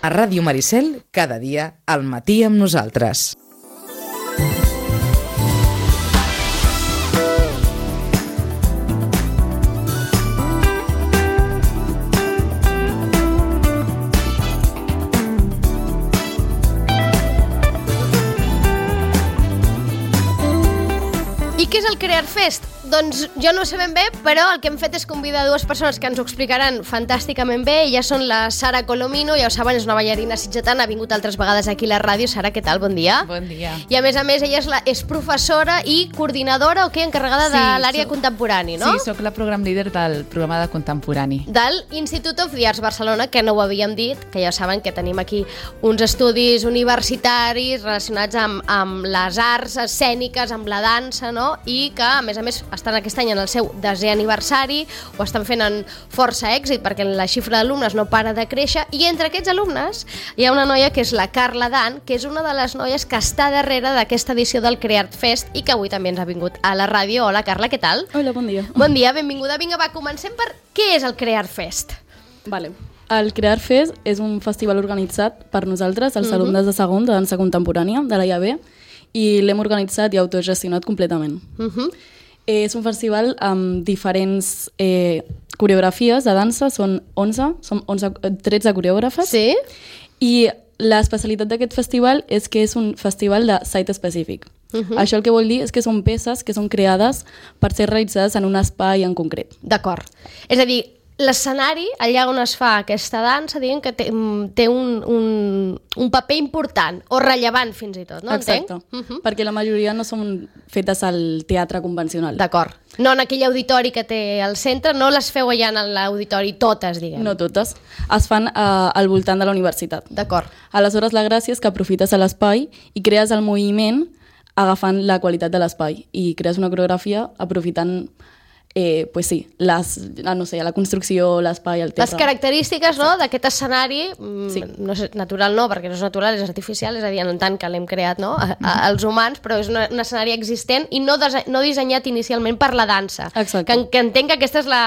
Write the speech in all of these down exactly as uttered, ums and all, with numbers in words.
A Ràdio Maricel, cada dia, al matí amb nosaltres. I què és el Crear Fest? Doncs jo no ho sé ben bé, però el que hem fet és convidar dues persones que ens ho explicaran fantàsticament bé. Elles són la Sara Colomino, ja ho saben, és una ballarina sitgetana, ha vingut altres vegades aquí a la ràdio. Sara, què tal? Bon dia. Bon dia. I a més a més, ella és, la, és professora i coordinadora, o què, encarregada Sí, de l'àrea soc- contemporani, no? Sí, sóc la program líder del programa de contemporani. Del Institute of the Arts Barcelona, que no ho havíem dit, que ja saben que tenim aquí uns estudis universitaris relacionats amb, amb les arts escèniques, amb la dansa, no? I que, a més a més, estan aquest any en el seu desè aniversari, ho estan fent amb força èxit perquè la xifra d'alumnes no para de créixer, i entre aquests alumnes hi ha una noia que és la Carla Dan, que és una de les noies que està darrere d'aquesta edició del Creart Fest i que avui també ens ha vingut a la ràdio. Hola, Carla, què tal? Hola, bon dia. Bon dia, benvinguda. Vinga, va, comencem per què és el Creart Fest. Vale. El Crear Fest és un festival organitzat per nosaltres, els uh-huh. alumnes de segon de dansa contemporània de l'A I A B, i l'hem organitzat i autogestionat completament. Uh-huh. Eh, és un festival amb diferents eh, coreografies de dansa, són onze, són onze, tretze coreògrafes. Sí? I l'especialitat d'aquest festival és que és un festival de site específic. Uh-huh. Això el que vol dir és que són peces que són creades per ser realitzades en un espai en concret. D'acord. És a dir, l'escenari, allà on es fa aquesta dansa, diguem que té, té un, un, un paper important, o rellevant fins i tot, no? Exacte, Entenc? Uh-huh. perquè la majoria no són fetes al teatre convencional. D'acord. No en aquell auditori que té al centre, no les feu allà en l'auditori totes, diguem. No totes. Es fan eh, al voltant de la universitat. D'acord. Aleshores, la gràcia és que aprofites l'espai i crees el moviment agafant la qualitat de l'espai i crees una coreografia aprofitant Eh, pues sí, les, no sé, la construcció, l'espai, el Les teatre. característiques, no, d'aquest escenari, mm, Sí. no és natural no, perquè no és natural, és artificial, és a dir, en tant que l'hem creat, no, a, a, els humans, però és una, un escenari existent i no, dese, no dissenyat inicialment per la dansa. Exacte. Que, que entenc que aquesta és la,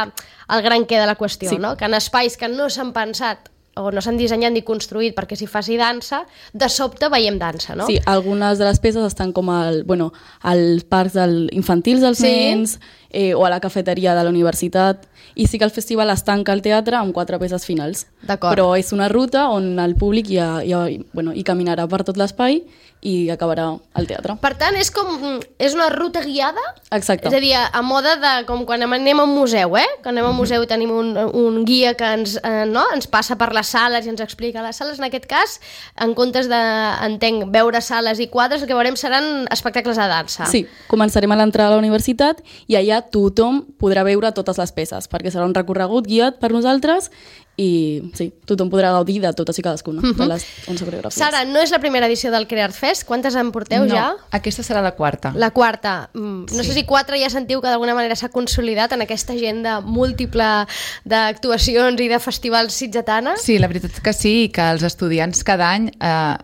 el gran què de la qüestió, Sí. no? Que en espais que no s'han pensat o no s'han dissenyat ni construït perquè s'hi faci dansa, de sobte veiem dansa, no? Sí, algunes de les peces estan com al, bueno, als parcs del, infantils dels Sí. nens eh, o a la cafeteria de la universitat, i sí que el festival es tanca al teatre amb quatre peces finals. D'acord. Però és una ruta on el públic ja, ja, bueno, hi caminarà per tot l'espai i acabarà al teatre. Per tant, és com és una ruta guiada? Exacte. És a dir, a moda de com quan anem a un museu, eh? Quan anem a un museu tenim un, un guia que ens, eh, no? ens passa per les sales i ens explica les sales. En aquest cas, en comptes de, entenc, veure sales i quadres, el que veurem seran espectacles de dansa. Sí, començarem a l'entrada a la universitat i allà tothom podrà veure totes les peces, perquè serà un recorregut guiat per nosaltres i sí, tothom podrà gaudir de totes i cadascuna de les onze coreografies. Sara, no és la primera edició del Creart Fest? Quantes en porteu no, ja? aquesta serà la quarta. La quarta. Mm, no Sí. sé si quatre ja sentiu que d'alguna manera s'ha consolidat en aquesta agenda múltiple d'actuacions i de festivals sitgetana? Sí, la veritat que sí, que els estudiants cada any eh,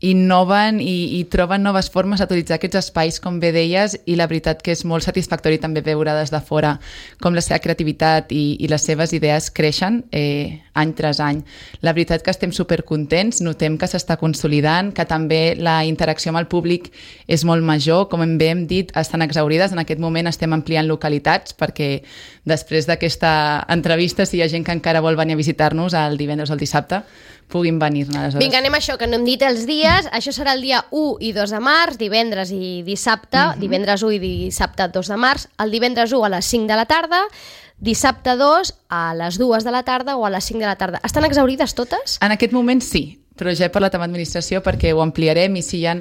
innoven i, i troben noves formes d'utilitzar aquests espais, com bé deies, i la veritat que és molt satisfactori també veure des de fora com la seva creativitat i, i les seves idees creixen eh, any tras any. La veritat que estem supercontents, notem que s'està consolidant, que també la interacció amb el públic és molt major, com bé hem dit, estan exaurides. En aquest moment estem ampliant localitats perquè després d'aquesta entrevista, si hi ha gent que encara vol venir a visitar-nos el divendres o el dissabte, puguin venir-ne. Aleshores. Vinga, anem a això, que no hem dit els dies. Això serà el dia u i dos de març, divendres i dissabte, uh-huh. divendres u i dissabte dos de març, el divendres u a les cinc de la tarda, dissabte dos a les dues de la tarda o a les cinc de la tarda. Estan exaurides totes? En aquest moment sí, però ja he parlat amb l'administració perquè ho ampliarem i si hi ha,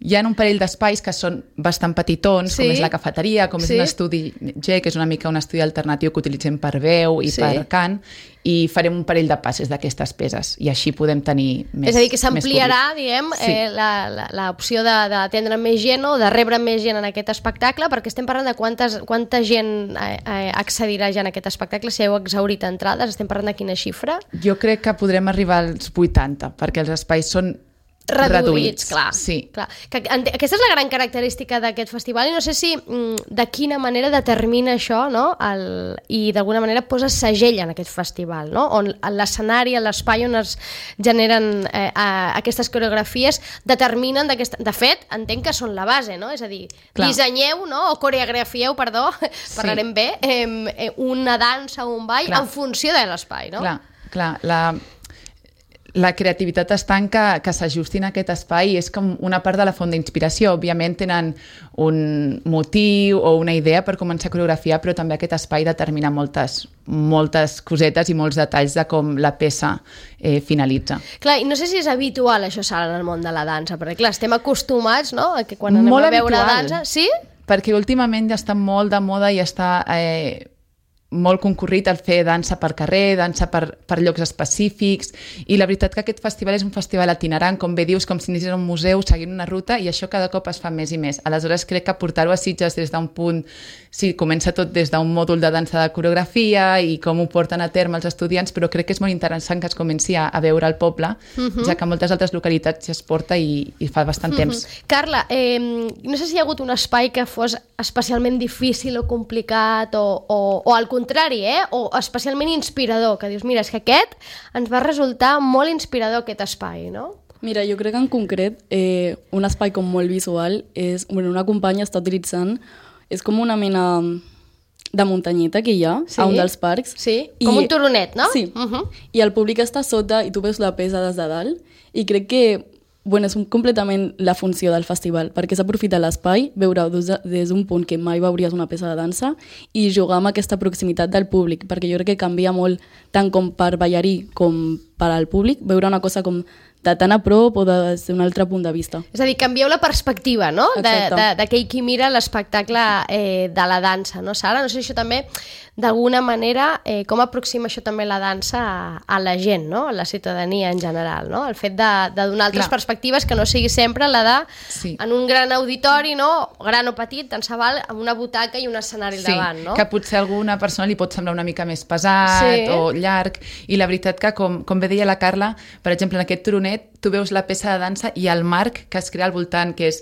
hi ha un parell d'espais que són bastant petitons, Sí. com és la cafeteria, com Sí. és un estudi G, que és una mica un estudi alternatiu que utilitzem per veu i Sí. per cant, i farem un parell de passes d'aquestes peces i així podem tenir més És a dir, que més s'ampliarà, públic. diguem, Sí. eh, la- la- l'opció de- d'atendre més gent o de rebre més gent en aquest espectacle, perquè estem parlant de quantes, quanta gent eh, eh, accedirà ja en aquest espectacle, si heu exhaurit entrades, estem parlant de quina xifra? Jo crec que podrem arribar als vuitanta, perquè els espais són reduïts, reduïts, clar. sí. clar. Que, aquesta és la gran característica d'aquest festival i no sé si mm, de quina manera determina això, no? El, i d'alguna manera posa segell en aquest festival, no? On l'escenari, l'espai on es generen eh, a, aquestes coreografies determinen d'aquesta... De fet, entenc que són la base, no? És a dir, clar. dissenyeu, no? O coreografieu, perdó, sí. parlarem bé, eh, una dansa o un ball clar. en funció de l'espai, no? Clar, clar, la... La creativitat està en que, que s'ajustin a aquest espai i és com una part de la font d'inspiració. Òbviament tenen un motiu o una idea per començar a coreografiar, però també aquest espai determina moltes, moltes cosetes i molts detalls de com la peça eh, finalitza. Clar, i no sé si és habitual això, Sara, en el món de la dansa, perquè clar, estem acostumats, no?, a que quan anem molt a veure habitual, dansa... Sí? Perquè últimament ja està molt de moda i està... Eh, molt concurrit el fer dansa per carrer, dansa per, per llocs específics, i la veritat que aquest festival és un festival itinerant, com bé dius, com si anessis a un museu seguint una ruta, i això cada cop es fa més i més. Aleshores crec que portar-ho a Sitges des d'un punt, sí, comença tot des d'un mòdul de dansa de coreografia i com ho porten a terme els estudiants, però crec que és molt interessant que es comenci a, a veure al poble, uh-huh. ja que en moltes altres localitats ja es porta i, i fa bastant uh-huh. temps. Carla, eh, no sé si hi ha hagut un espai que fos especialment difícil o complicat o, o, o al contrari, eh? O especialment inspirador, que dius, mira, és que aquest ens va resultar molt inspirador aquest espai, no? Mira, jo crec que en concret eh, un espai com molt visual és, bueno, una companya està utilitzant, és com una mena de muntanyeta que hi ha sí. a un dels parcs. Sí, com I, un turonet, no? Sí, uh-huh. i el públic està sota i tu veus la pesa des de dalt i crec que bueno, és completament la funció del festival, perquè s'aprofita l'espai, veure des d'un punt que mai veuries una peça de dansa i jugar amb aquesta proximitat del públic, perquè jo crec que canvia molt, tant com per ballarí com per al públic, veure una cosa com de tan a prop o des d'un altre punt de vista. És a dir, canvieu la perspectiva, no?, d'aquell qui mira l'espectacle eh, de la dansa, no, Sara? No sé si això també, d'alguna manera, eh, com aproxima això també la dansa a, a la gent, no?, a la ciutadania en general, no?, el fet de, de donar altres Clar. perspectives que no sigui sempre la de, sí. en un gran auditori, no?, gran o petit, tant se val, amb una butaca i un escenari al sí, davant, no? Que potser a alguna persona li pot semblar una mica més pesat sí. o llarg, i la veritat que, com, com bé deia la Carla, per exemple, en aquest turonet tu veus la peça de dansa i el marc que es crea al voltant, que és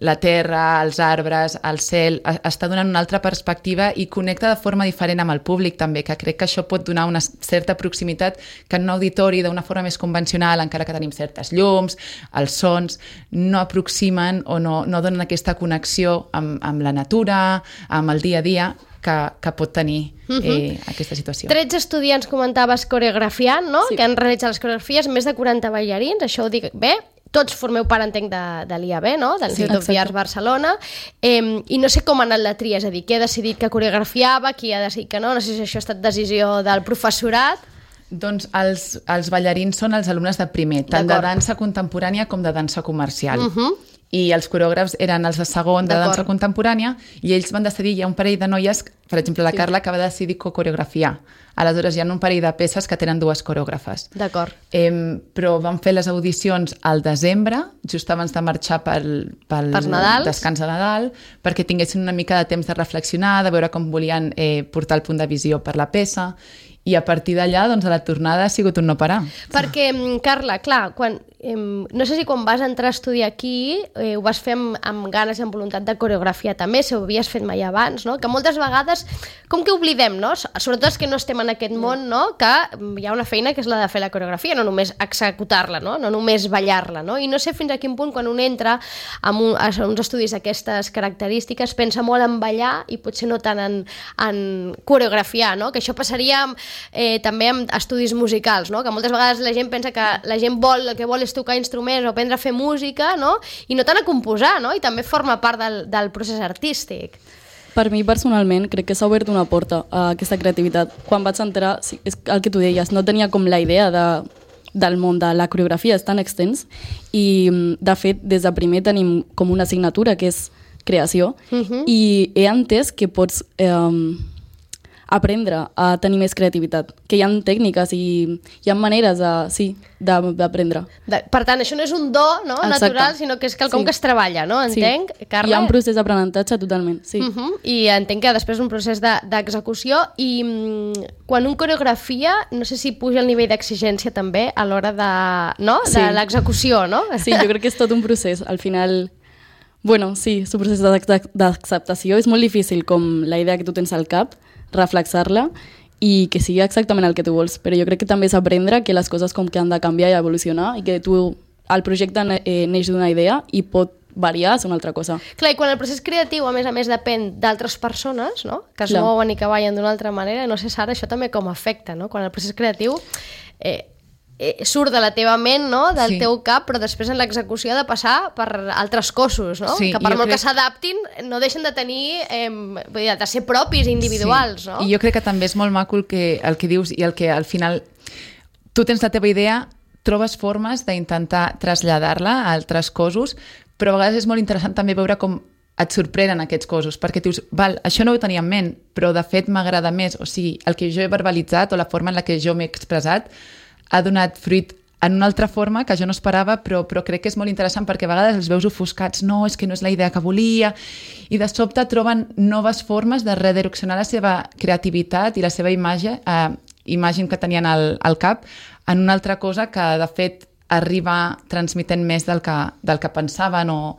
la terra, els arbres, el cel, està donant una altra perspectiva i connecta de forma diferent amb el públic també, que crec que això pot donar una certa proximitat que en un auditori d'una forma més convencional, encara que tenim certes llums, els sons, no aproximen o no, no donen aquesta connexió amb, amb la natura, amb el dia a dia, que, que pot tenir eh, uh-huh. aquesta situació. tretze estudiants, comentaves, coreografiant, no? Sí. Que han realitzat les coreografies, més de quaranta ballarins, això ho dic bé, tots formeu part, entenc, de, de l'I A B, no?, de l'Institut sí, of the Arts Barcelona, eh, i no sé com ha anat la tria, és a dir, qui ha decidit que coreografiava, qui ha decidit que no, no sé si això ha estat decisió del professorat. Doncs els, els ballarins són els alumnes de primer, tant de dansa contemporània com de dansa comercial. Uh-huh. I els coreògrafs eren els de segon de dansa contemporània i ells van decidir, hi ha un parell de noies, per exemple la sí. Carla, que va decidir coreografiar. Aleshores hi ha un parell de peces que tenen dues coreògrafes. D'acord. Eh, però van fer les audicions al desembre, just abans de marxar pel, pel descans de Nadal, perquè tinguessin una mica de temps de reflexionar, de veure com volien eh, portar el punt de visió per la peça, i a partir d'allà, doncs, a la tornada ha sigut un no parar. Perquè, Carla, clar, quan, eh, no sé si quan vas entrar a estudiar aquí eh, ho vas fer amb, amb ganes i amb voluntat de coreografia també, si ho havies fet mai abans, no? Que moltes vegades, com que oblidem, no? Sobretot els que no estem en aquest món, no? Que hi ha una feina que és la de fer la coreografia, no només executar-la, no? No només ballar-la, no? I no sé fins a quin punt, quan un entra en un, a uns estudis d'aquestes característiques, pensa molt en ballar i potser no tant en, en coreografiar, no? Que això passaria Eh, també amb estudis musicals, no? Que moltes vegades la gent pensa que la gent vol, el que vol és tocar instruments o aprendre a fer música, no? I no tant a composar, no? I també forma part del, del procés artístic. Per mi, personalment, crec que s'ha obert una porta a aquesta creativitat. Quan vaig entrar, sí, és el que tu deies, no tenia com la idea de, del món de la coreografia, és tan extens, i de fet, des de primer tenim com una assignatura que és creació, uh-huh. i he entès que pots... Eh, aprendre a tenir més creativitat, que hi ha tècniques i hi ha maneres de, sí, d'aprendre. De, per tant, això no és un do no, natural, sinó que és quelcom sí. que es treballa, no? Entenc, sí. Carla? Hi ha un procés d'aprenentatge totalment, sí. Uh -huh. I entenc que després un procés d'execució de, i mm, quan un coreografia, no sé si puja el nivell d'exigència també a l'hora de, no? de sí. l'execució, no? Sí, jo crec que és tot un procés. Al final, bueno, sí, és un procés d'acceptació. És molt difícil com la idea que tu tens al cap, reflexar-la i que sigui exactament el que tu vols, però jo crec que també és aprendre que les coses com que han de canviar i evolucionar i que tu, el projecte eh, neix d'una idea i pot variar, és una altra cosa. Clar, i quan el procés creatiu, a més a més, depèn d'altres persones, no? Que es Clar. mouen i que ballen d'una altra manera, no sé, Sara, això també com afecta, no? Quan el procés creatiu eh, eh, surt de la teva ment, no? Del Sí. teu cap, però després en l'execució ha de passar per altres cossos, no? Sí, que per jo molt crec- que s'adaptin, no deixen de tenir, eh, vull dir, de ser propis, individuals, Sí. no? I jo crec que també és molt maco el que, el que dius i el que al final tu tens la teva idea, trobes formes d'intentar traslladar-la a altres cossos, però a vegades és molt interessant també veure com et sorprenen aquests cossos, perquè dius, val, això no ho tenia en ment, però de fet m'agrada més, o sigui, el que jo he verbalitzat o la forma en la que jo m'he expressat ha donat fruit en una altra forma que jo no esperava, però, però crec que és molt interessant perquè a vegades els veus ofuscats, no, és que no és la idea que volia, i de sobte troben noves formes de redireccionar la seva creativitat i la seva imatge, eh, imatge que tenien al, al cap, en una altra cosa que de fet arriba transmetent més del que, del que pensaven o...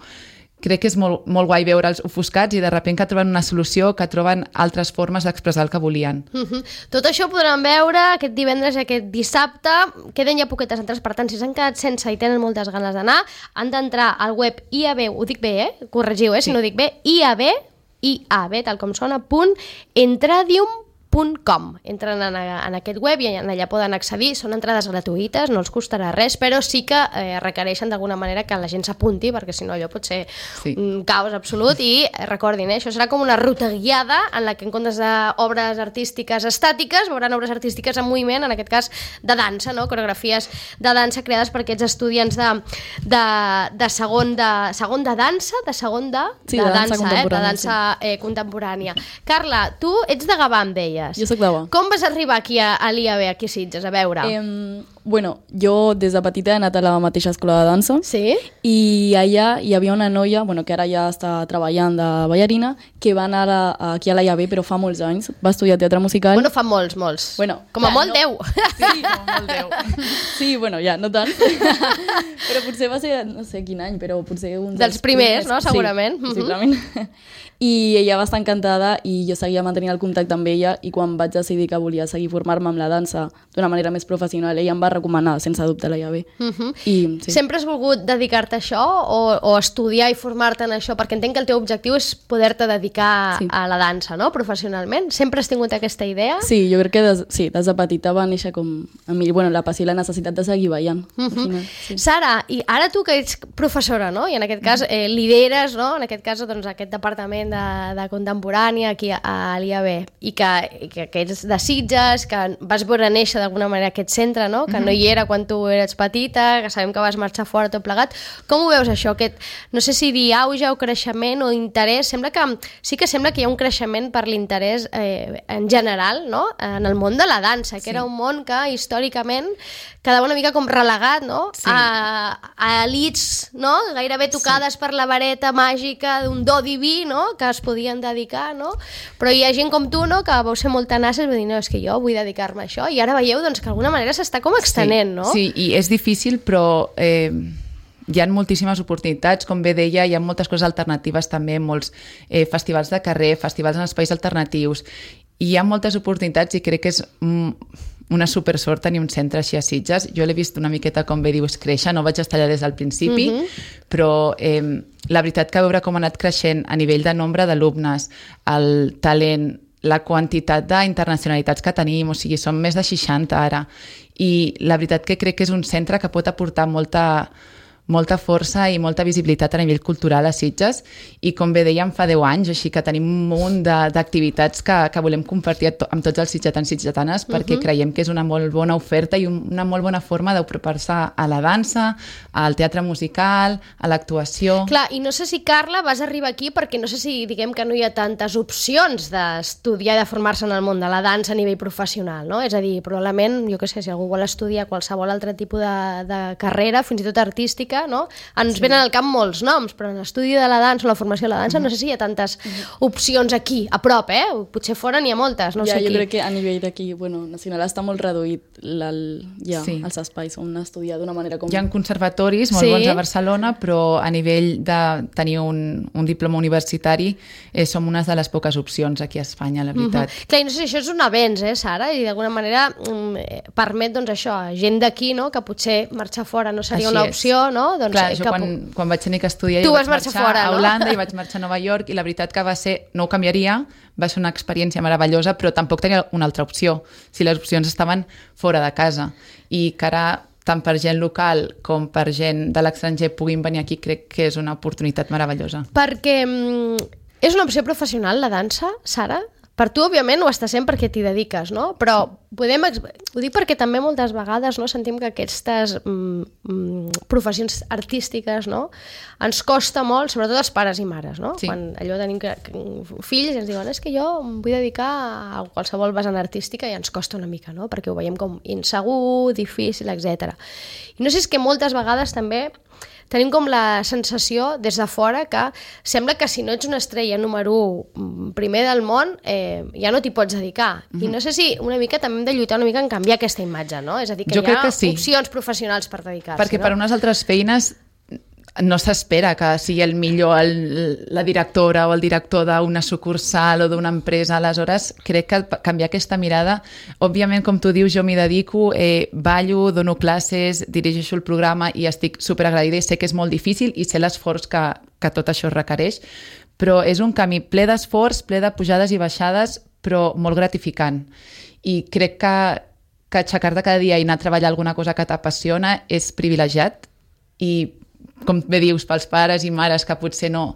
Crec que és molt, molt guai veure'ls ofuscats i de sobte que troben una solució, que troben altres formes d'expressar el que volien. Uh-huh. Tot això ho podran veure aquest divendres i aquest dissabte. Queden ja poquetes entrades, per tant, si s'han quedat sense i tenen moltes ganes d'anar, han d'entrar al web I A B, ho dic bé, eh? Corregiu, eh? Si Sí. no ho dic bé, I A B, I A B, tal com sona, punt, entradium punt com. Entren en, en aquest web i allà poden accedir. Són entrades gratuïtes, no els costarà res, però sí que eh, requereixen d'alguna manera que la gent s'apunti, perquè si no allò pot ser Sí. un caos absolut. I eh, recordin, eh, això serà com una ruta guiada en la que en comptes d'obres artístiques estàtiques veuran obres artístiques en moviment, en aquest cas de dansa, no? Coreografies de dansa creades per aquests estudiants de, de, de, segon, de segon de dansa, de segon de, Sí, de, de dansa dansa, eh? de contemporània, dansa eh, contemporània. Carla, tu ets de Gavà, em deies. Jo soc d'Ava. Com vas arribar aquí a, a l'I A B, aquí a Sitges, a veure? Eh, bueno, jo des de petita he anat a la mateixa escola de dansa Sí? i allà hi havia una noia, bueno, que ara ja està treballant de ballarina, que va anar a, a, aquí a la I A B, però fa molts anys, va estudiar teatre musical. Bueno, fa molts, molts. Bueno, com a clar, molt, no. deu. Sí, com molt Déu. Sí, bueno, ja, no tant. Però potser va ser, no sé quin any, però potser un Dels primers, no? Segurament. Sí, possiblement. I ella va estar encantada i jo seguia mantenint el contacte amb ella i quan vaig decidir que volia seguir formar-me amb la dansa d'una manera més professional, ella em va recomanar, sense dubte, la I A B. Uh -huh. I, sí. Sempre has volgut dedicar-te a això o, o estudiar i formar-te en això? Perquè entenc que el teu objectiu és poder-te dedicar Sí. a la dansa, no? Professionalment. Sempre has tingut aquesta idea? Sí, jo crec que des, sí, des de petita va néixer com a mi, bueno, la passió i la necessitat de seguir ballant. Uh al -huh. final, sí. Sara, i ara tu que ets professora, no? I en aquest cas eh, lideres, no? En aquest cas, doncs, aquest departament de, de contemporània aquí a, a l'I A B i que, i que, que ets de Sitges, que vas veure néixer d'alguna manera aquest centre, no? Que no hi era quan tu eres petita, que sabem que vas marxar fora tot plegat. Com ho veus això? Aquest, no sé si dir auge o creixement o interès, sembla que sí que sembla que hi ha un creixement per l'interès eh, en general, no? En el món de la dansa, que Sí. era un món que històricament quedava una mica com relegat, no? Sí. A, a elits, no? Gairebé tocades sí. per la vareta màgica d'un do diví, no? Que es podien dedicar, no? Però hi ha gent com tu, no? Que vau ser molt tenaces i vau dir, no, és que jo vull dedicar-me a això, i ara veieu doncs, que d'alguna manera s'està com extenent, sí, no? Sí, i és difícil, però eh, hi ha moltíssimes oportunitats, com bé deia, hi ha moltes coses alternatives també, molts eh, festivals de carrer, festivals en espais alternatius, i hi ha moltes oportunitats i crec que és mm, una supersort tenir un centre així a Sitges. Jo l'he vist una miqueta, com bé dius, créixer, no vaig estar allà des del principi, Mhm. però eh, la veritat que veure com ha anat creixent a nivell de nombre d'alumnes, el talent, la quantitat d'internacionalitats que tenim, o sigui, són més de seixanta ara, i la veritat que crec que és un centre que pot aportar molta, molta força i molta visibilitat a nivell cultural a Sitges i com bé dèiem fa deu anys, així que tenim un munt d'activitats que, que volem compartir amb tots els sitgetans i sitgetanes perquè uh -huh. creiem que és una molt bona oferta i una molt bona forma d'apropar-se a la dansa, al teatre musical, a l'actuació. Clar, i no sé si, Carla, vas arribar aquí perquè no sé si diguem que no hi ha tantes opcions d'estudiar i de formar-se en el món de la dansa a nivell professional, no? És a dir, probablement, jo què sé, si algú vol estudiar qualsevol altre tipus de, de carrera, fins i tot artística, no? Ens sí. venen al camp molts noms, però en l'estudi de la dansa o la formació de la dansa mm. no sé si hi ha tantes mm. opcions aquí, a prop, eh? Potser fora n'hi ha moltes, no ja, sé jo aquí. crec que a nivell d'aquí, bueno, nacional està molt reduït la, ja, sí. els espais on estudiar d'una manera com... Hi ha conservatoris molt sí. bons a Barcelona, però a nivell de tenir un, un diploma universitari eh, som una de les poques opcions aquí a Espanya, la veritat. Mm-hmm. Clar, i no sé si això és un avenç, eh, Sara? I d'alguna manera mm, permet, doncs, això, gent d'aquí, no?, que potser marxar fora no seria Així una és. opció, no? Doncs, Clar, eh, jo que... quan, quan vaig tenir que estudiar tu jo vas vaig marxar, marxar fora, a no? Holanda i vaig marxar a Nova York i la veritat que va ser, no ho canviaria, va ser una experiència meravellosa, però tampoc tenia una altra opció, si les opcions estaven fora de casa. I que ara, tant per gent local com per gent de l'estranger puguin venir aquí, crec que és una oportunitat meravellosa. Perquè mm, és una opció professional, la dansa, Sara? Per tu, òbviament, ho està sent perquè t'hi dediques, no? Però podem... Ho dic perquè també moltes vegades no, sentim que aquestes mm, mm, professions artístiques, no, ens costa molt, sobretot als pares i mares, no? Sí. Quan allò tenim que, que, fills i ens diuen és que jo em vull dedicar a qualsevol vessant artística i ens costa una mica, no? Perquè ho veiem com insegur, difícil, etcètera. I no sé, és que moltes vegades també tenim com la sensació des de fora que sembla que si no ets una estrella número u primer del món eh, ja no t'hi pots dedicar. Mm-hmm. I no sé si una mica també hem de lluitar una mica en canviar aquesta imatge, no? És a dir, que jo hi ha sí. opcions professionals per dedicar-s'hi. Perquè no? per unes altres feines no s'espera que sigui el millor el, la directora o el director d'una sucursal o d'una empresa. Aleshores, crec que canviar aquesta mirada, òbviament, com tu dius, jo m'hi dedico, eh, ballo, dono classes, dirigeixo el programa i estic superagraïda i sé que és molt difícil i sé l'esforç que, que tot això requereix, però és un camí ple d'esforç, ple de pujades i baixades, però molt gratificant. I crec que, que aixecar-te cada dia i anar a treballar alguna cosa que t'apassiona és privilegiat i com bé dius, pels pares i mares que potser no...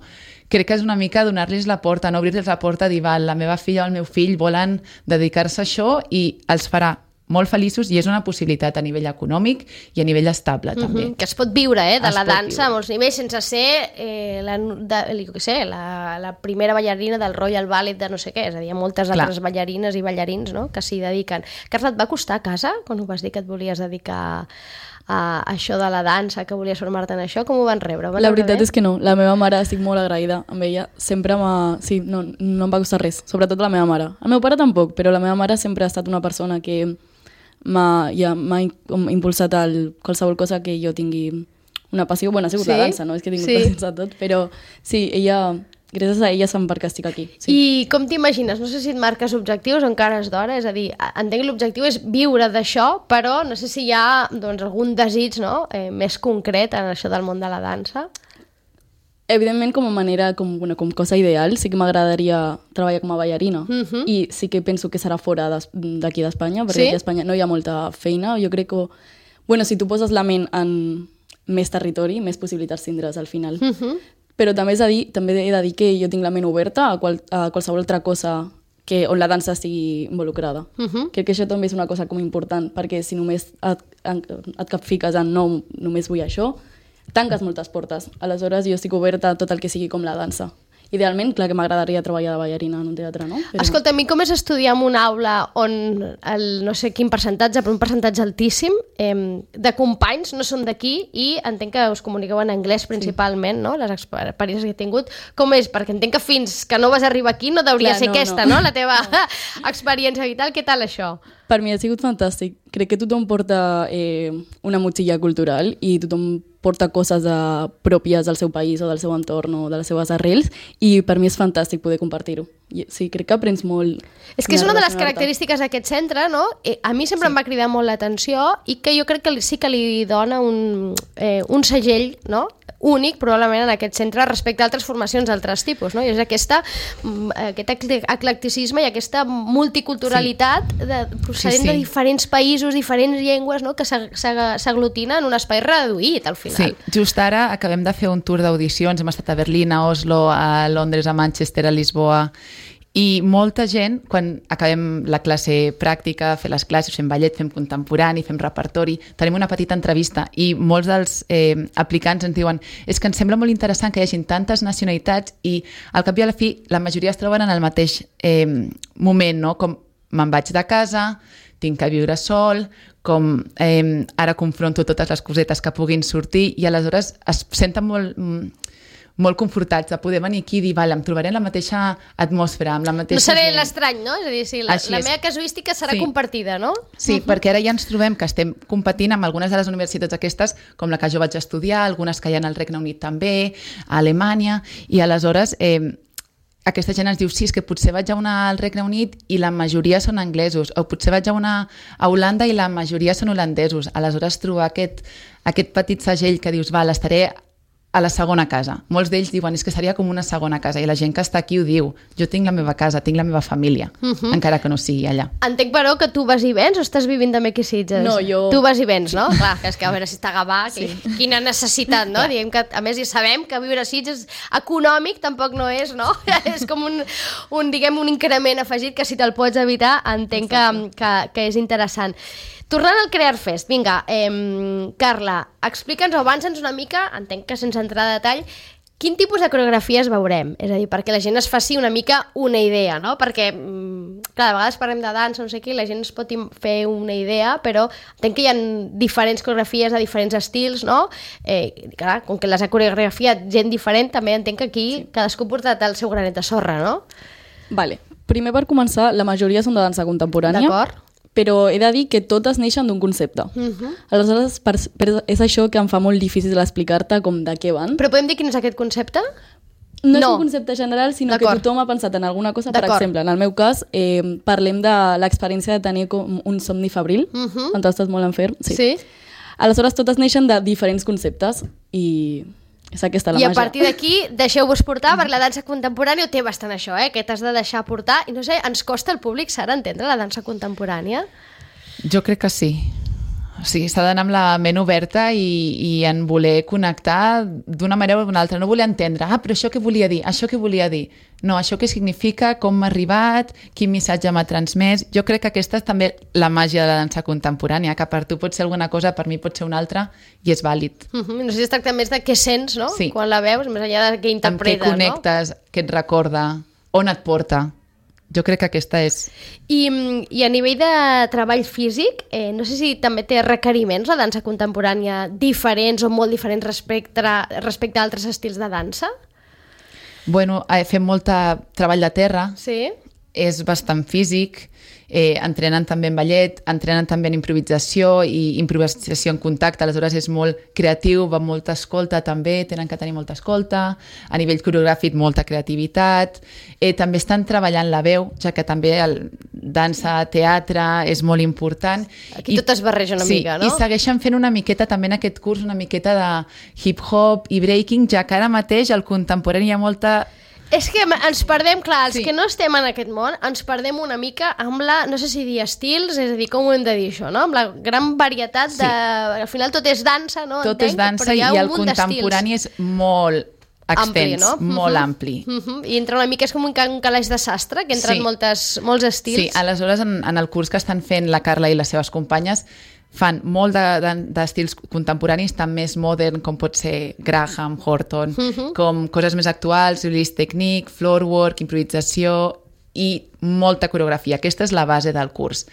Crec que és una mica donar-los la porta, no obrir-los la porta, dir, val, la meva filla o el meu fill volen dedicar-se a això i els farà molt feliços i és una possibilitat a nivell econòmic i a nivell estable, també. Mm-hmm. Que es pot viure, eh, de es la dansa viure. a molts nivells, sense ser eh, la, de, jo què sé, la, la primera ballarina del Royal Ballet de no sé què, és a dir, hi ha moltes Clar. altres ballarines i ballarins, no?, que s'hi dediquen. Carla, et va costar a casa, quan ho vas dir que et volies dedicar a això de la dansa, que volies formar-te en això? Com ho van rebre? Van la rebre veritat bé? és que no. La meva mare, estic molt agraïda amb ella. Sempre m'ha... Sí, no, no em va costar res. Sobretot la meva mare. El meu pare tampoc, però la meva mare sempre ha estat una persona que m'ha ja, m'ha impulsat a qualsevol cosa que jo tingui una passió. Bueno, ha sigut sí? la dansa, no és que tinc sí. passions a tot, però sí, ella... Gràcies a ella se'm perquè estic aquí. Sí. I com t'imagines? No sé si et marques objectius o encara és d'hora, és a dir, entenc que l'objectiu és viure d'això, però no sé si hi ha doncs, algun desig, no?, eh, més concret en això del món de la dansa. Evidentment, com a manera, com, bueno, com cosa ideal, sí que m'agradaria treballar com a ballarina. Uh-huh. I sí que penso que serà fora d'aquí d'Espanya, perquè sí? aquí a Espanya no hi ha molta feina. Jo crec que, bueno, si tu poses la ment en més territori, més possibilitats tindràs al final. Uh-huh. Però també, és a dir, també he de dir que jo tinc la ment oberta a, qual, a qualsevol altra cosa que, on la dansa estigui involucrada. Uh-huh. Crec que això també és una cosa com important, perquè si només et, et capfiques en no, només vull això, tanques moltes portes. Aleshores jo estic oberta a tot el que sigui com la dansa. Idealment, clar que m'agradaria treballar de ballarina en un teatre, no? Però... Escolta, a mi com és estudiar en una aula on el, no sé quin percentatge, però un percentatge altíssim, eh, de companys no són d'aquí i entenc que us comuniqueu en anglès principalment, sí. no? Les experiències que he tingut. Com és? Perquè entenc que fins que no vas arribar aquí no deuria clar, ser no, aquesta, no, no? La teva no. experiència vital. Què tal això? Per mi ha sigut fantàstic. Crec que tothom porta eh, una motxilla cultural i tothom porta coses uh, pròpies del seu país o del seu entorn o de les seves arrels i per mi és fantàstic poder compartir-ho. I, sí, crec que aprens molt. És que és una de les relacionar-te. característiques d'aquest centre, no? Eh, A mi sempre sí. em va cridar molt l'atenció i que jo crec que li- sí que li dona un, eh, un segell, no?, únic probablement en aquest centre respecte a altres formacions d'altres tipus, no? I és aquesta, mm, aquest ecle- eclecticisme i aquesta multiculturalitat de, procedent Sí, sí. de diferents països, diferents llengües, no?, que s'ag- s'ag- s'aglutina en un espai reduït al final. Sí, just ara acabem de fer un tour d'audicions, hem estat a Berlín, a Oslo, a Londres, a Manchester, a Lisboa, i molta gent, quan acabem la classe pràctica, fer les classes, fem ballet, fem contemporani, fem repertori, tenim una petita entrevista i molts dels eh, aplicants ens diuen és que ens sembla molt interessant que hi hagin tantes nacionalitats i al cap i a la fi la majoria es troben en el mateix eh, moment, no? Com me'n vaig de casa, tinc que viure sol, com eh, ara confronto totes les cosetes que puguin sortir i aleshores es senten molt... Mm, molt confortats de poder venir aquí i dir, vale, em trobaré en la mateixa atmosfera, amb la mateixa No seré gent. l'estrany, no? És a dir, sí, la, Així la és. meva casuística serà Sí. compartida, no? Sí, uh-huh. perquè ara ja ens trobem que estem competint amb algunes de les universitats aquestes, com la que jo vaig estudiar, algunes que hi ha al Regne Unit també, a Alemanya, i aleshores eh, aquesta gent ens diu, sí, és que potser vaig a una al Regne Unit i la majoria són anglesos, o potser vaig a una a Holanda i la majoria són holandesos. Aleshores trobar aquest, aquest petit segell que dius, val, estaré a la segona casa. Molts d'ells diuen, és que seria com una segona casa, i la gent que està aquí ho diu, jo tinc la meva casa, tinc la meva família, uh-huh. encara que no sigui allà. Entenc, però, que tu vas i vens o estàs vivint també aquí a Sitges? No, jo- Tu vas i vens, no? Clar, que és que a veure si està a Gavà, que, sí. Quina necessitat, no? Diguem que, a més, ja sabem que viure a Sitges econòmic tampoc no és, no? És com un, un, diguem, un increment afegit que si te'l pots evitar, entenc que, que, que és interessant. Tornant al Crear Fest, vinga, eh, Carla, explica'ns o avança'ns una mica, entenc que sense entrar a detall, quin tipus de coreografies veurem? És a dir, perquè la gent es faci una mica una idea, no? Perquè, mm, clar, a vegades parlem de dansa, no sé què, i la gent es pot im- fer una idea, però entenc que hi ha diferents coreografies de diferents estils, no? Eh, clar, com que les ha coreografiat gent diferent, també entenc que aquí sí. cadascú porta el seu granet de sorra, no? Vale. Primer, per començar, la majoria són de dansa contemporània. D'acord. Però he de dir que totes neixen d'un concepte. Uh-huh. Aleshores, per, per, és això que em fa molt difícil explicar-te com de què van. Però podem dir quin és aquest concepte? No, és No. un concepte general, sinó que D'acord. tothom ha pensat en alguna cosa. Per D'acord. exemple, en el meu cas, eh, parlem de l'experiència de tenir com un somni febril, Mhm. quan tu estàs molt enferm. Sí. Aleshores, totes neixen de diferents conceptes i és aquesta la I a màgia. partir d'aquí, deixeu-vos portar, perquè la dansa contemporània ho té bastant això, eh? Que t'has de deixar portar. I no sé, ens costa al públic, Sara, entendre la dansa contemporània? Jo crec que sí. O sigui, s'ha d'anar amb la ment oberta i, i en voler connectar d'una manera o d'una altra. No voler entendre, ah, però això què volia dir? Això què volia dir? No, això què significa? Com m'ha arribat? Quin missatge m'ha transmès? Jo crec que aquesta és també la màgia de la dansa contemporània, que per tu pot ser alguna cosa, per mi pot ser una altra, i és vàlid. Uh -huh. No sé si es tracta més de què sents, no? Sí. Quan la veus, més enllà de què Amb què interpretes, connectes, què et recorda, on et porta. Jo crec que aquesta és... I, I a nivell de treball físic, eh, no sé si també té requeriments la dansa contemporània diferents o molt diferents respecte, respecte a altres estils de dansa? Bueno, eh, fem molt treball de terra, Sí. és bastant físic, eh, entrenen també en ballet, entrenen també en improvisació i improvisació en contacte, aleshores és molt creatiu, va molta escolta també, tenen que tenir molta escolta, a nivell coreogràfic molta creativitat, eh, també estan treballant la veu, ja que també el dansa, teatre és molt important. Aquí tot es barreja una sí, mica, no? I segueixen fent una miqueta també en aquest curs, una miqueta de hip-hop i breaking, ja que ara mateix al contemporani hi ha molta... És que ens perdem, clar, els Sí. que no estem en aquest món, ens perdem una mica amb la, no sé si dir estils, és a dir, com ho hem de dir això, no? Amb la gran varietat de... Al final tot és dansa, no? Tot Entenc, és dansa però hi ha i un el munt d'estils. contemporani és molt Ampli, extens, no? molt Mhm. ampli. Mhm. I entra una mica, és com un, ca- un calaix de sastre, que entren Sí. moltes, molts estils. Sí, aleshores en, en el curs que estan fent la Carla i les seves companyes fan molt d'estils de, de, contemporanis, tant més modern com pot ser Graham, Horton, Mhm. com coses més actuals, release technique, floorwork, improvisació i molta coreografia. Aquesta és la base del curs.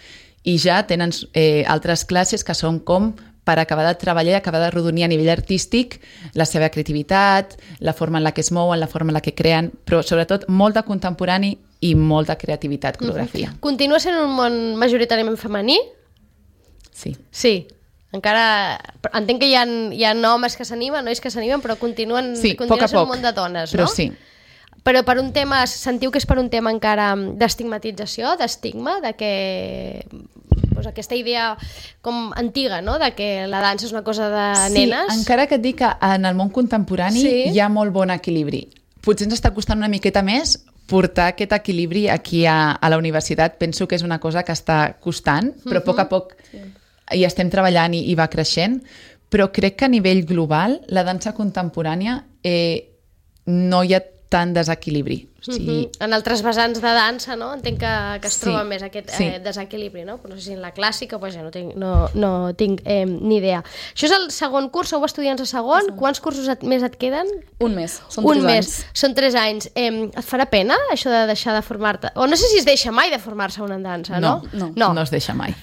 I ja tenen eh, altres classes que són com per acabar de treballar i acabar de rodonir a nivell artístic la seva creativitat, la forma en la que es mouen, la forma en la que creen, però sobretot molt de contemporani i molta creativitat, coreografia. Mhm. Continua sent un món majoritàriament femení? Sí. Sí. Encara... Entenc que hi ha, hi ha homes que s'animen, nois que s'animen, però continuen, Sí, continua poc a sent poc, un món de dones, però no? sí. però per un tema, sentiu que és per un tema encara d'estigmatització, d'estigma, de que pues, aquesta idea com antiga, no?, de que la dansa és una cosa de nenes. Sí, encara que et dic que en el món contemporani sí. hi ha molt bon equilibri. Potser ens està costant una miqueta més portar aquest equilibri aquí a, a la universitat. Penso que és una cosa que està costant, però a poc a poc sí. hi estem treballant i, i va creixent, però crec que a nivell global la dansa contemporània eh, no hi ha tant desequilibri. O sigui... uh-huh. En altres vessants de dansa, no? Entenc que, que es sí, troba més aquest sí. eh, desequilibri, no? Però no sé si en la clàssica, pues ja no tinc, no, no tinc eh, ni idea. Això és el segon curs, sou estudiants de segon? Sí. Quants cursos et, més et queden? Un mes, són Un tres mes. anys. Són tres anys. Eh, et farà pena això de deixar de formar-te? O no sé si es deixa mai de formar-se una en dansa, no? No, no, no, no es deixa mai.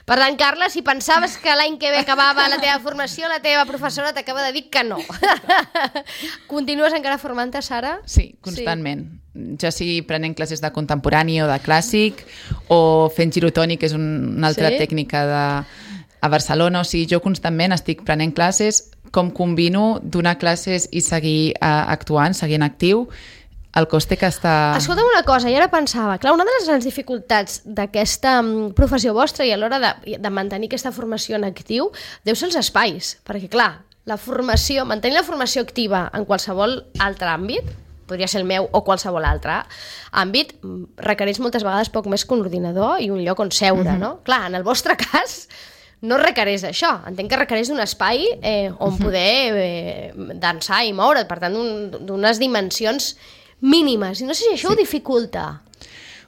Per tant, Carla, si pensaves que l'any que ve acabava la teva formació, la teva professora t'acaba de dir que no. Continues encara formant-te, Sara? Sí, constantment. Sí. Ja sigui prenent classes de contemporani o de clàssic, o fent girotònic, que és un, una altra sí? tècnica de, a Barcelona. O sigui, jo constantment estic prenent classes, com combino donar classes i seguir uh, actuant, seguint actiu, el coste que està... Escolta'm una cosa, i ara pensava, clar, una de les grans dificultats d'aquesta professió vostra i a l'hora de, de mantenir aquesta formació en actiu deu ser els espais, perquè clar, la formació, mantenir la formació activa en qualsevol altre àmbit, podria ser el meu o qualsevol altre àmbit, requereix moltes vegades poc més que un ordinador i un lloc on seure, mm-hmm. no? Clar, en el vostre cas no requereix això, entenc que requereix d'un espai eh, on poder eh, dansar i moure't, per tant, d'unes dimensions mínimes, i no sé si això sí. ho dificulta.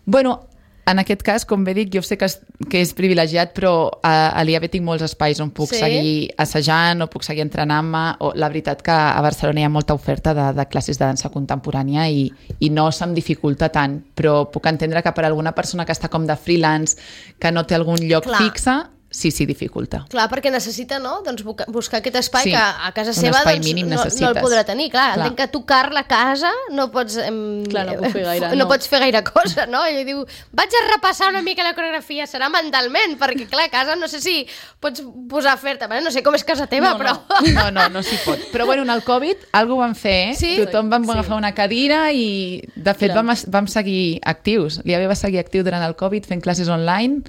Bueno, en aquest cas, com bé dic, jo sé que és, que és privilegiat, però a, a l'I A B tinc molts espais on puc sí? seguir assajant o puc seguir entrenant-me. O, la veritat que a Barcelona hi ha molta oferta de, de classes de dansa contemporània i, i no se'm dificulta tant, però puc entendre que per alguna persona que està com de freelance, que no té algun lloc Clar. fixe, sí, sí, dificulta. Clar, perquè necessita, no?, doncs buscar aquest espai sí, que a casa seva doncs, no, no el podrà tenir. Clar, Clar. entenc que tocar la casa no pots... Em, Clar, no, puc fer gaire, no. no pots fer gaire cosa, no? I diu, vaig a repassar una mica la coreografia, serà mentalment, perquè clar, a casa no sé si pots posar a fer-te, no sé com és casa teva, no, però... No, no, no, no s'hi pot. Però bueno, en el Covid algo van fer, eh? Sí? Tothom vam sí. agafar una cadira i de fet vam, vam seguir actius. L'I A B va seguir actiu durant el Covid fent classes online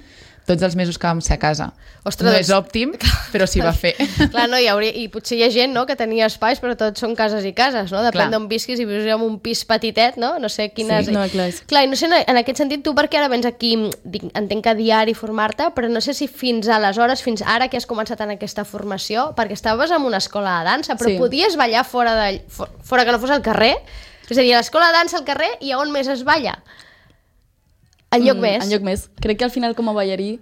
tots els mesos que vam ser a casa. Ostres, no doncs... és òptim, però s'hi va fer. Clar, no, hi hauria, i potser hi ha gent, no?, que tenia espais, però tots són cases i cases, no? Depèn d'on visquis, i vius en un pis petitet, no? No sé quines... Sí, no, clar. Clar, i no sé, en aquest sentit, tu perquè ara vens aquí, dic, entenc que a diari formar-te, però no sé si fins aleshores, fins ara que has començat en aquesta formació, perquè estaves en una escola de dansa, però sí. podies ballar fora, de, fora que no fos al carrer? És a dir, a l'escola de dansa al carrer i a on més es balla? En lloc mm, més. En lloc més. Crec que al final com a ballarí,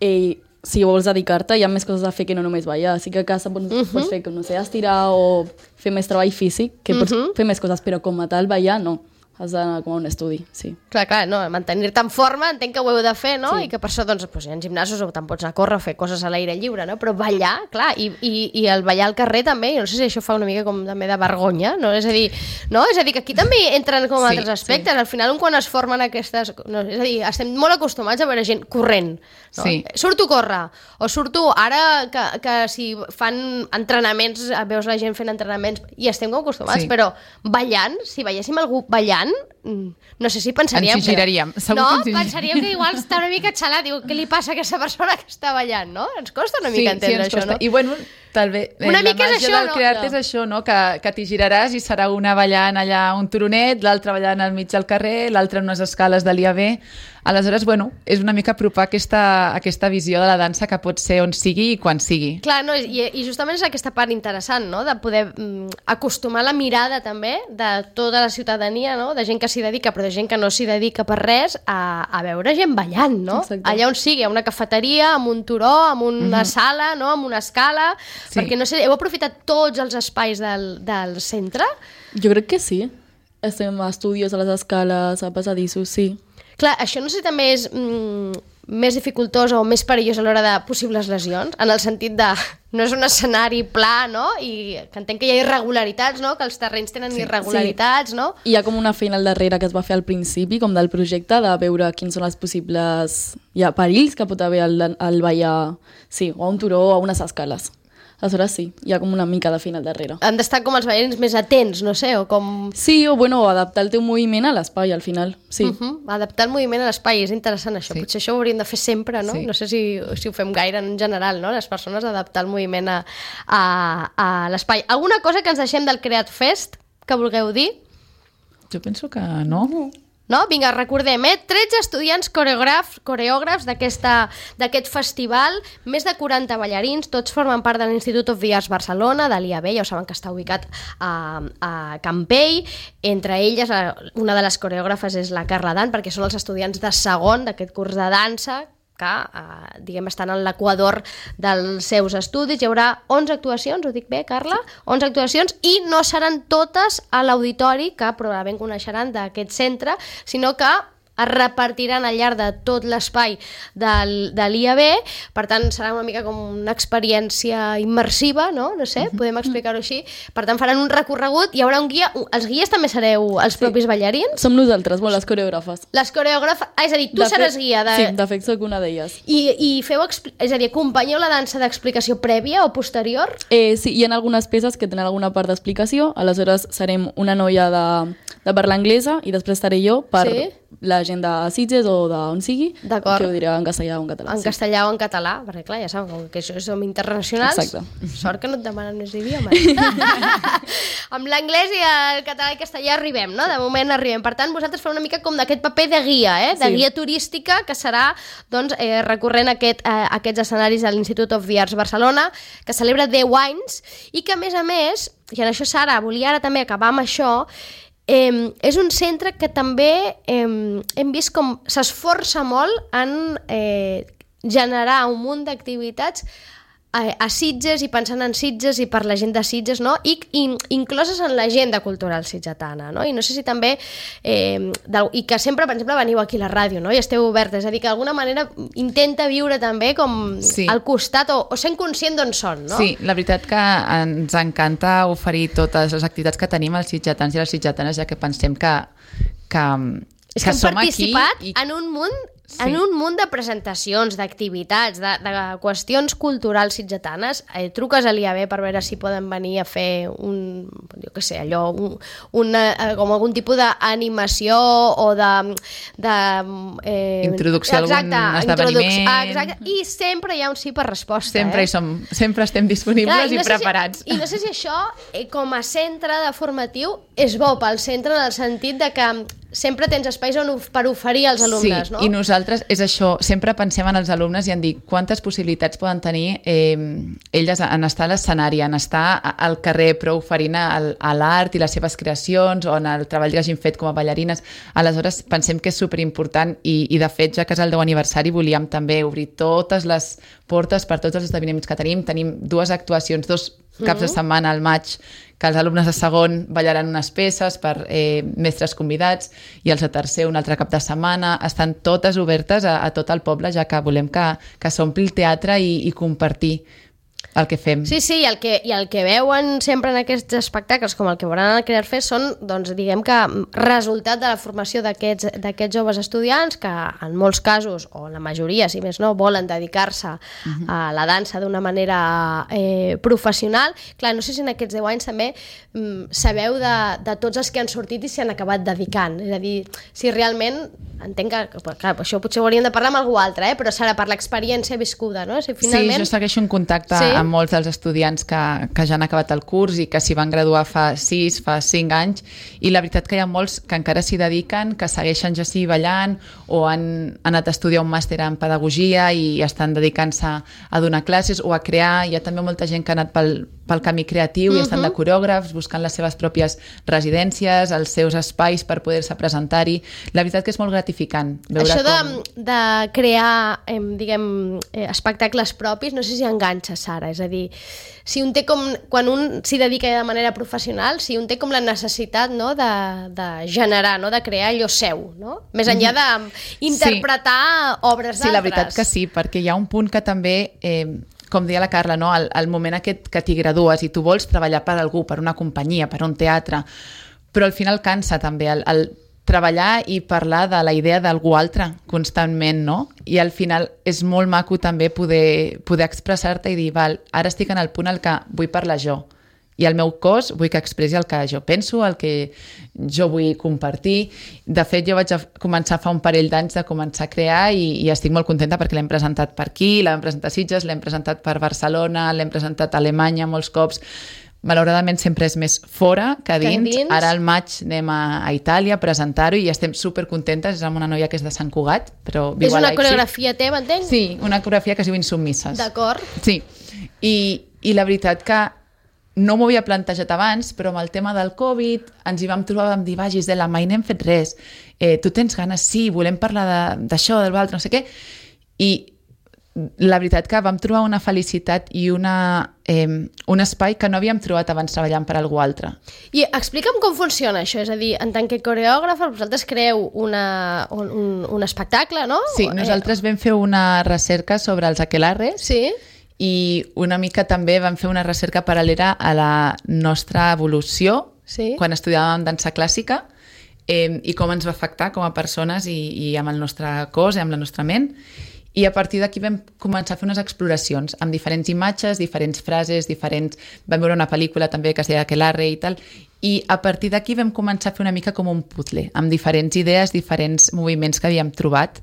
eh, si vols dedicar-te, hi ha més coses a fer que no només ballar. Així que a casa pots, uh-huh. pots fer, com no sé, estirar o fer més treball físic, que uh-huh. pots fer més coses, però com a tal ballar, no. Has d'anar com a un estudi, sí. Clar, clar, no, mantenir-te en forma, entenc que ho heu de fer, no? Sí. I que per això, doncs, doncs, hi ha gimnasos o te'n pots anar a córrer, fer coses a l'aire lliure, no? Però ballar, clar, i, i, i el ballar al carrer també, no sé si això fa una mica com també de vergonya, no? És a dir, no? És a dir, que aquí també entren com sí, altres aspectes. Sí. Al final, un quan es formen aquestes... No, és a dir, estem molt acostumats a veure gent corrent, no? Sí. Surto a córrer, o surto ara que, que si fan entrenaments, veus la gent fent entrenaments, i estem com acostumats, sí. però ballant, si veiéssim algú ballant, no sé si pensaríem... Ens hi giraríem. Que... No, que pensaríem que igual està una mica xalat. Diu, què li passa a aquesta persona que està ballant, no? Ens costa una mica sí, entendre sí, això, costa. no? I bueno, també, eh, una la mica màgia és això, del no? crear-te és això, no? Que, que t'hi giraràs i serà una ballant allà un turonet, l'altra ballant al mig del carrer, l'altra en unes escales de l'I A B. Aleshores, bueno, és una mica apropar aquesta, aquesta visió de la dansa que pot ser on sigui i quan sigui. Clar, no, i, i justament és aquesta part interessant, no?, de poder mm, acostumar la mirada també de tota la ciutadania, no?, de gent que s'hi dedica, però de gent que no s'hi dedica per res, a, a veure gent ballant, no? Exacte. Allà on sigui, a una cafeteria, amb un turó, amb una mm-hmm. sala, no?, amb una escala, sí. perquè no sé, heu aprofitat tots els espais del, del centre? Jo crec que sí. Estem a estudis, a les escales, a passadissos, sí. Clar, això no sé si també és mm, més dificultós o més perillós a l'hora de possibles lesions, en el sentit de no és un escenari pla, no? I que entenc que hi ha irregularitats, no? Que els terrenys tenen sí, irregularitats, sí. no? Hi ha com una feina al darrere que es va fer al principi, com del projecte, de veure quins són els possibles ja, perills que pot haver al, al ballar, sí, o a un turó o a unes escales. aleshores sí, hi ha com una mica de feina al darrere. Han d'estar com els ballarins més atents, no sé, o com... Sí, o bueno, adaptar el teu moviment a l'espai al final, sí. Uh -huh. Adaptar el moviment a l'espai, és interessant això. Sí. Potser això ho hauríem de fer sempre, no? Sí. No sé si, si ho fem gaire en general, no? Les persones adaptar el moviment a, a, a l'espai. Alguna cosa que ens deixem del Creat Fest que vulgueu dir? Jo penso que no. No? Vinga, recordem, eh? tretze estudiants coreògrafs, coreògrafs d'aquest festival, més de quaranta ballarins, tots formen part de l'Institut of the Arts Barcelona, de l'I A B, ja ho saben que està ubicat a, a Campell, entre elles una de les coreògrafes és la Carla Dan, perquè són els estudiants de segon d'aquest curs de dansa, que eh, diguem, estan en l'equador dels seus estudis. Hi haurà onze actuacions, ho dic bé, Carla? Sí. onze actuacions, i no seran totes a l'auditori, que probablement coneixeran d'aquest centre, sinó que es repartiran al llarg de tot l'espai del, de l'I A B, per tant serà una mica com una experiència immersiva, no? No sé, podem explicar-ho així. Per tant faran un recorregut, hi haurà un guia, els guies també sereu els propis sí. ballarins? Som nosaltres, bueno, les coreògrafes. Les coreògrafes, ah, és a dir, tu de seràs fet, guia. De... Sí, de fet soc una d'elles. I, i feu, és a dir, acompanyeu la dansa d'explicació prèvia o posterior? Eh, sí, hi ha algunes peces que tenen alguna part d'explicació, aleshores serem una noia de, de parla anglesa i després estaré jo per... Sí? la gent de Sitges o d'on sigui, que ho diré en castellà o en català. En sí. castellà o en català, perquè clar, ja saben que això som internacionals. Exacte. Sort que no et demanen més idiomes. Amb l'anglès i el català i el castellà arribem, no? De moment arribem. Per tant, vosaltres feu una mica com d'aquest paper de guia, eh? de sí. guia turística, que serà doncs, eh, recorrent aquest, eh, aquests escenaris de l'Institut of the Arts Barcelona, que celebra deu anys, i que a més a més, i en això Sara, volia ara també acabar amb això, Eh, és un centre que també eh, hem vist com s'esforça molt en eh, generar un munt d'activitats a, a Sitges i pensant en Sitges i per la gent de Sitges, no? I, i incloses en l'agenda cultural sitgetana, no? I no sé si també eh, del, i que sempre, per exemple, veniu aquí a la ràdio, no? I esteu obertes, és a dir, que d'alguna manera intenta viure també com sí. al costat o, o sent conscient d'on són, no? Sí, la veritat que ens encanta oferir totes les activitats que tenim als sitgetans i les sitgetanes, ja que pensem que, que, és que, que hem som participat aquí i... en un munt Sí. en un munt de presentacions, d'activitats, de, de qüestions culturals sitgetanes. Eh, truques a l'I A B per veure si poden venir a fer un, jo què sé, allò, un, una, com algun tipus d'animació o de... de eh, introducció exacte, a algun esdeveniment. Ah, exacte, i sempre hi ha un sí per resposta. Sempre eh? hi som, sempre estem disponibles Clar, i, no i preparats. Si, I no sé si això, eh, com a centre de formatiu, és bo pel centre en el sentit de que sempre tens espais on, per oferir als alumnes, sí, no? I nosaltres és això, sempre pensem en els alumnes i en dir quantes possibilitats poden tenir eh, elles en estar a l'escenari, en estar al carrer, però oferint a l'art i les seves creacions o en el treball que hagin fet com a ballarines. Aleshores, pensem que és superimportant i, i de fet, ja que és el deu aniversari, volíem també obrir totes les portes per tots els esdeveniments que tenim. Tenim dues actuacions, dos caps de setmana al maig, que els alumnes de segon ballaran unes peces per eh, mestres convidats i els de tercer un altre cap de setmana. Estan totes obertes a, a tot el poble, ja que volem que, que s'ompli el teatre i, i compartir el que fem. Sí, sí, i el que, i el que veuen sempre en aquests espectacles, com el que veuran al Creat Fest, són, doncs, diguem que, resultat de la formació d'aquests d'aquests joves estudiants que, en molts casos, o la majoria, si més no, volen dedicar-se uh-huh. a la dansa d'una manera eh, professional. Clar, no sé si en aquests deu anys també mm, sabeu de, de tots els que han sortit i s'hi han acabat dedicant. És a dir, si realment, entenc que, clar, això potser ho hauríem de parlar amb algú altre, eh? Però serà per l'experiència viscuda, no? Si finalment... Sí, jo segueixo un contacte sí? amb molts dels estudiants que, que ja han acabat el curs i que s'hi van graduar fa sis, fa cinc anys, i la veritat que hi ha molts que encara s'hi dediquen, que segueixen ja sí ballant o han, han anat a estudiar un màster en pedagogia i estan dedicant-se a donar classes o a crear. Hi ha també molta gent que ha anat pel, pel camí creatiu uh-huh. i estan de coreògrafs buscant les seves pròpies residències, els seus espais per poder-se presentar-hi. La veritat que és molt gratificant veure això de, com... de crear eh, diguem, eh, espectacles propis, no sé si enganxa, Sara, és a dir, si un té com, quan un s'hi dedica de manera professional, si un té com la necessitat, no, de, de generar, no, de crear allò seu, no? Més enllà d'interpretar sí. obres d'altres. Sí, la veritat que sí, perquè hi ha un punt que també... Eh, com deia la Carla, no? el, el moment aquest que t'hi gradues i tu vols treballar per algú, per una companyia, per un teatre, però al final cansa també el, el treballar i parlar de la idea d'algú altre constantment, no? I al final és molt maco també poder, poder expressar-te i dir, val, ara estic en el punt en què vull parlar jo. I el meu cos vull que expressi el que jo penso, el que jo vull compartir. De fet, jo vaig a començar fa un parell d'anys de començar a crear i, i estic molt contenta perquè l'hem presentat per aquí, l'hem presentat a Sitges, l'hem presentat per Barcelona, l'hem presentat a Alemanya molts cops. Malauradament sempre és més fora que dins. Que dins. Ara al maig anem a, a Itàlia a presentar-ho i estem supercontentes. És amb una noia que és de Sant Cugat, però viu És a una Leipzig. coreografia teva, entenc? Sí, una coreografia que es diu Insubmises. D'acord. Sí, I, i la veritat que no m'ho havia plantejat abans, però amb el tema del Covid ens hi vam trobar, vam dir, va, Gisela, mai n'hem fet res. Eh, tu tens ganes? Sí, volem parlar d'això, del l'altre, no sé què. I la veritat que vam trobar una felicitat i una, eh, un espai que no havíem trobat abans treballant per algú altre. I explica'm com funciona això, és a dir, en tant que coreògrafa, vosaltres creeu una, un, un, un espectacle, no? Sí, nosaltres vam fer una recerca sobre els aquelarres. Sí. I una mica també vam fer una recerca paral·lela a la nostra evolució Sí. quan estudiàvem dansa clàssica eh, i com ens va afectar com a persones i, i amb el nostre cos i amb la nostra ment. I a partir d'aquí vam començar a fer unes exploracions amb diferents imatges, diferents frases, diferents... Vam veure una pel·lícula també que es deia Aquelarre i tal, i a partir d'aquí vam començar a fer una mica com un puzzle, amb diferents idees, diferents moviments que havíem trobat,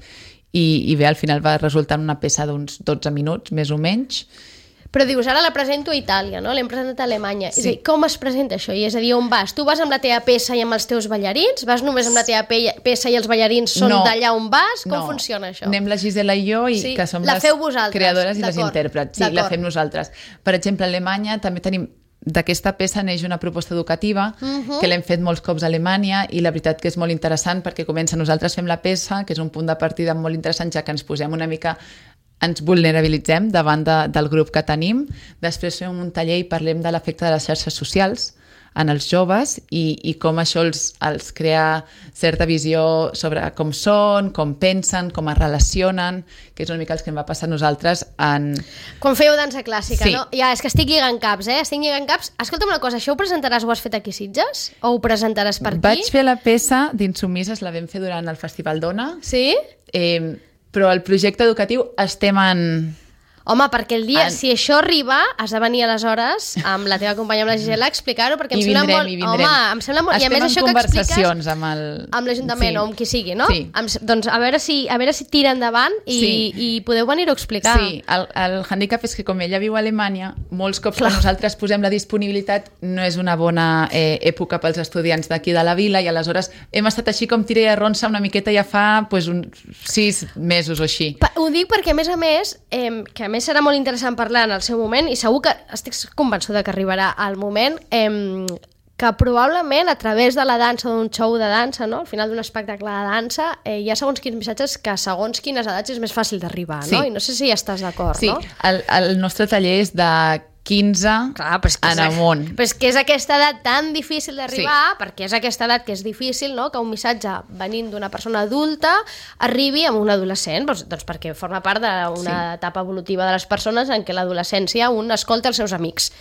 i, i bé, al final va resultar una peça d'uns dotze minuts, més o menys. Però dius, ara la presento a Itàlia, no? L'hem presentat a Alemanya. Sí. És a dir, com es presenta això? I és a dir, on vas? Tu vas amb la teva peça i amb els teus ballarins? Vas només amb la teva pe peça i els ballarins són No. d'allà on vas? Com No. funciona això? Anem la Gisela i jo, i Sí, que som la les feu vosaltres, creadores i les d'acord, intèrprets. Sí, la d'acord. fem nosaltres. Per exemple, a Alemanya també tenim d'aquesta peça neix una proposta educativa Mhm. que l'hem fet molts cops a Alemanya i la veritat que és molt interessant perquè comença nosaltres fem la peça, que és un punt de partida molt interessant, ja que ens posem una mica ens vulnerabilitzem davant de, del grup que tenim. Després fem un taller i parlem de l'efecte de les xarxes socials en els joves i, i com això els, els crea certa visió sobre com són, com pensen, com es relacionen, que és una mica el que em va passar a nosaltres en... Quan fèieu dansa clàssica, Sí. no? Ja, és que estic lligant caps, eh? Estic lligant caps. Escolta'm una cosa, això ho presentaràs, ho has fet aquí a Sitges? O ho presentaràs per aquí? Vaig fer la peça d'Insumises, la vam fer durant el Festival Dona, Sí? eh, però el projecte educatiu estem en... Home, perquè el dia, En- si això arriba, has de venir aleshores amb la teva companya, amb la Gisela, a explicar-ho, perquè em I sembla vindrem, molt... i vindrem. Home, em sembla molt... I a Estem més, en això que expliques conversacions amb el... amb l'Ajuntament Sí. o amb qui sigui, no? Sí. Em, doncs a veure si, a veure si tira endavant i, Sí. i podeu venir-ho a explicar. Sí, el, el handicap és que com ella viu a Alemanya, molts cops que nosaltres posem la disponibilitat no és una bona eh, època pels estudiants d'aquí de la vila i aleshores hem estat així com tira i arronsa una miqueta ja fa pues, uns sis mesos o així. Pa- Ho dic perquè, a més a més, eh, que a més serà molt interessant parlar en el seu moment, i segur que estic convençuda que arribarà al moment, eh, que probablement a través de la dansa, d'un show de dansa, no? Al final d'un espectacle de dansa, eh, hi ha segons quins missatges que segons quines edats és més fàcil d'arribar, Sí. no? I no sé si hi estàs d'acord, Sí, no? el, el nostre taller és de quinze Clar, però és que en és, amunt. però és que és aquesta edat tan difícil d'arribar, Sí. perquè és aquesta edat que és difícil, no? Que un missatge venint d'una persona adulta arribi a un adolescent, doncs, doncs perquè forma part d'una Sí. etapa evolutiva de les persones en què l'adolescència un escolta els seus amics.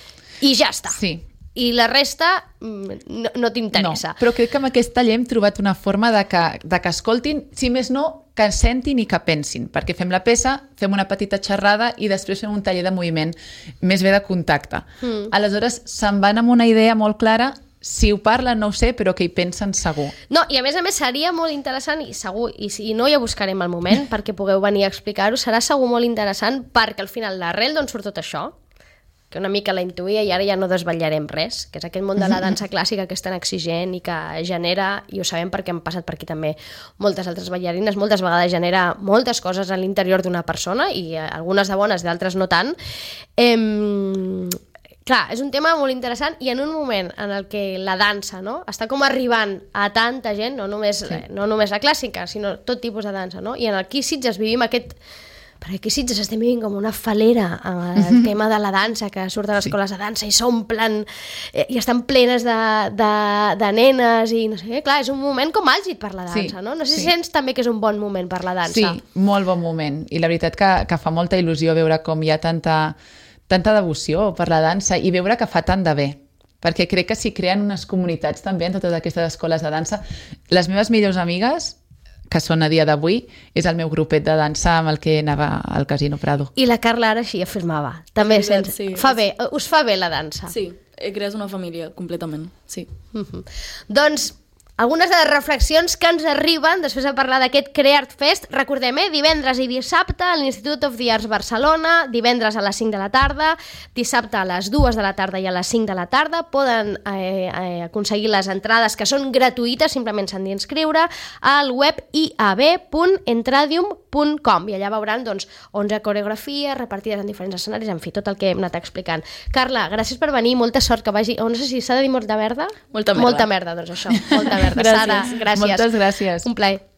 I ja està. Sí. I la resta mm, no, no No, t'interessa. però crec que amb aquest taller hem trobat una forma de que, de que escoltin, si més no, que sentin i que pensin, perquè fem la peça, fem una petita xerrada i després fem un taller de moviment, més bé de contacte. Mm. Aleshores, se'n van amb una idea molt clara, si ho parlen no ho sé, però que hi pensen segur. No, i a més a més seria molt interessant, i segur, i si no ja buscarem el moment perquè pugueu venir a explicar-ho, serà segur molt interessant perquè al final l'arrel d'on surt tot això, que una mica la intuïa i ara ja no desvetllarem res, que és aquest món de la dansa clàssica que és tan exigent i que genera, i ho sabem perquè hem passat per aquí també moltes altres ballarines, moltes vegades genera moltes coses a l'interior d'una persona i eh, algunes de bones, d'altres no tant. Ehm... Clar, és un tema molt interessant i en un moment en el que la dansa, no?, està com arribant a tanta gent, no només, sí. no només la clàssica, sinó tot tipus de dansa, no? I en aquí Sitges vivim aquest... Perquè aquí Sitges estem vivint com una falera amb el mm-hmm. tema de la dansa, que surten les escoles de dansa i s'omplen eh, i estan plenes de, de, de nenes i no sé què. Clar, és un moment com àlgid per la dansa, Sí, no? No sé sí. si sents també que és un bon moment per la dansa. Sí, molt bon moment. I la veritat que, que fa molta il·lusió veure com hi ha tanta, tanta devoció per la dansa i veure que fa tant de bé. perquè crec que s'hi creen unes comunitats també en totes aquestes escoles de dansa. Les meves millors amigues, que són a dia d'avui, és el meu grupet de dansa amb el que anava al Casino Prado. I la Carla ara així afirmava. També És veritat, sents... sí. Fa bé, us fa bé la dansa. Sí, crees una família, completament, sí. Uh-huh. Doncs algunes de les reflexions que ens arriben després de parlar d'aquest Creart Fest. Recordem, eh? divendres i dissabte a l'Institut of the Arts Barcelona, divendres a les cinc de la tarda, dissabte a les dues de la tarda i a les cinc de la tarda. Poden eh, eh, aconseguir les entrades, que són gratuïtes, simplement s'han d'inscriure al web i a b punt entradium punt com i allà veuran doncs, onze coreografies repartides en diferents escenaris, en fi, tot el que hem anat explicant. Carla, gràcies per venir, molta sort, que vagi... O no sé si s'ha de dir molta merda? Molta merda. Molta merda, doncs això, molta merda. Gràcies. Sara, gràcies. Moltes gràcies. Un plaer.